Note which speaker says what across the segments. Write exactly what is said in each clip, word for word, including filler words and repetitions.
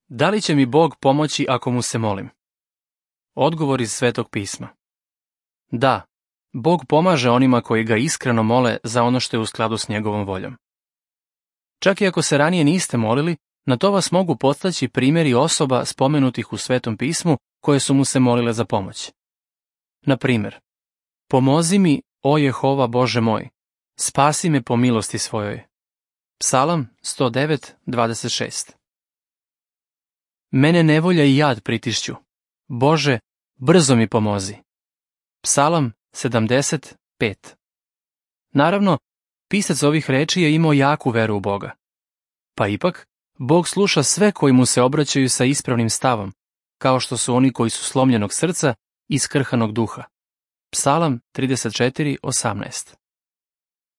Speaker 1: Da li će mi Bog pomoći ako mu se molim? Odgovor iz Svetog pisma. Da, Bog pomaže onima koji ga iskreno mole za ono što je u skladu s njegovom voljom. Čak i ako se ranije niste molili, na to vas mogu podstaći primjeri osoba spomenutih u Svetom pismu koje su mu se molile za pomoć. Na primjer, pomozi mi, o Jehova Bože moj, spasi me po milosti svojoj. Psalam sto devet, dvadeset šest. Mene nevolja i jad pritišću. Bože, brzo mi pomozi. Psalam sedamdeset pet. Naravno, pisac ovih reči je imao jaku veru u Boga. Pa ipak, Bog sluša sve koji mu se obraćaju sa ispravnim stavom, kao što su oni koji su slomljenog srca i skrhanog duha. Psalam trideset četiri, osamnaest.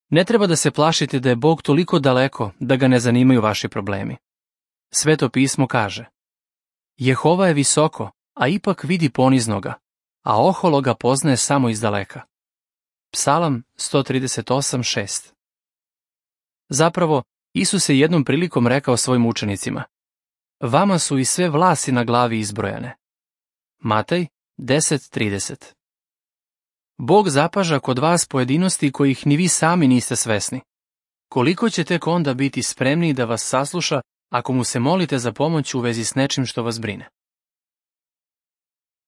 Speaker 1: Ne treba da se plašite da je Bog toliko daleko da ga ne zanimaju vaši problemi. Sveto pismo kaže: Jehova je visoko, a ipak vidi poniznoga, a ohologa poznaje samo izdaleka. Psalam sto trideset osam, šest. Zapravo, Isus je jednom prilikom rekao svojim učenicima: Vama su i sve vlasi na glavi izbrojane. Matej deset, trideset. Bog zapaža kod vas pojedinosti kojih ni vi sami niste svesni. Koliko će tek onda biti spremni da vas sasluša ako mu se molite za pomoć u vezi s nečim što vas brine?